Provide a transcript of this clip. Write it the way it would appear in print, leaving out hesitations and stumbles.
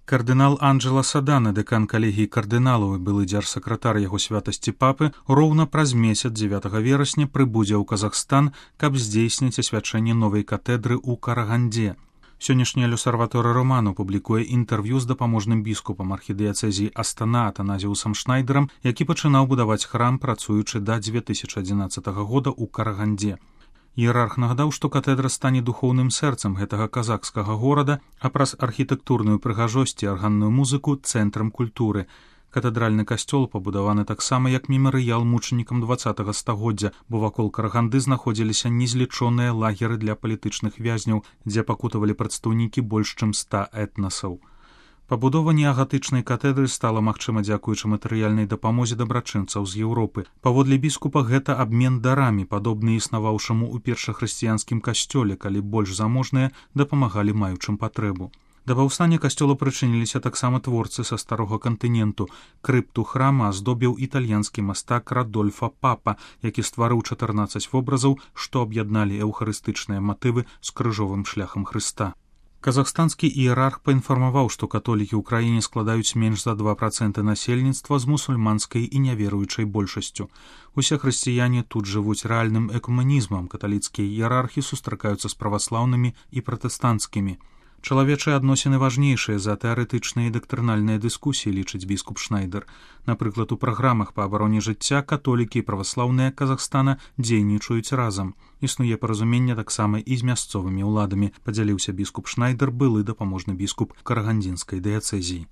Кардынал Анджела Садана, дэкан калегіі кардыналаў і былы дзяржсакратар яго святасці папы, роўна праз месяц 9 верасня прыбудзе ў Казахстан, каб здзейсніць асвячэнне новай катедры ў Карагандзе. Сённяшняя Люсарваторы Романо публікуе інтэрв'ю з дапаможным біскупам архідыяцэзіі Астана Атаназіусам Шнайдерам, які пачынаў будаваць храм, працуючы да 2011 года ў Карагандзе. Іерарх нагадаў, што катедра стане духоўным сэрцам гэтага казахскага горада, а праз архітэктурную прыгажосць і арганную музыку цэнтрам культуры. Катэдральны касцёл пабудаваны таксама як мемарыял мучанікам 20-го стагоддзя, бо вакол Караганды знаходзіліся незлічоныя лагеры для палітычных вязняў, дзе пакутавалі прадстаўнікі больш чым 100 этнасаў. Пабудова неагатычнай катэдры стала магчыма дзякуючы матэрыяльнай дапамозе дабрачынцаў з Еўропы. Паводле біскупа гэта абмен дарамі, падобны існаваўшаму ў першахрысціянскім касцёле, калі больш заможныя дапамагалі маючым патрэбу. Да паўстання касцёла прычыніліся таксама творцы са старога кантыненту. Крыпту храма аздобіў італьянскі мастак Радольфа Папа, які стварыў 14 вобразаў, што аб'ядналі эўхарыстычныя матывы з крыжовым шляхам Хрыста. Казахстанскі іерарх паінфармаваў, што католікі ў краіне складаюць менш за 2% насельніцтва з мусульманскай і няверуючай большасцю. Усе хрысціяне тут жывуць рэальным экуманізмам, каталіцкія іерархі сустракаюцца з праваслаўнымі і пратэстанцкімі. Чалавечыя адносіны важнейшыя за тэарэтычныя і дактрынальныя дыскусіі, лічыць біскуп Шнайдер. Напрыклад, у праграмах па абароне жыцця католікі і праваслаўныя Казахстана дзейнічаюць разам. Існуе паразуменне таксама і з мясцовымі ўладамі, падзяліўся біскуп Шнайдер, былы дапаможны біскуп карагандзінскай дыяцэзіі.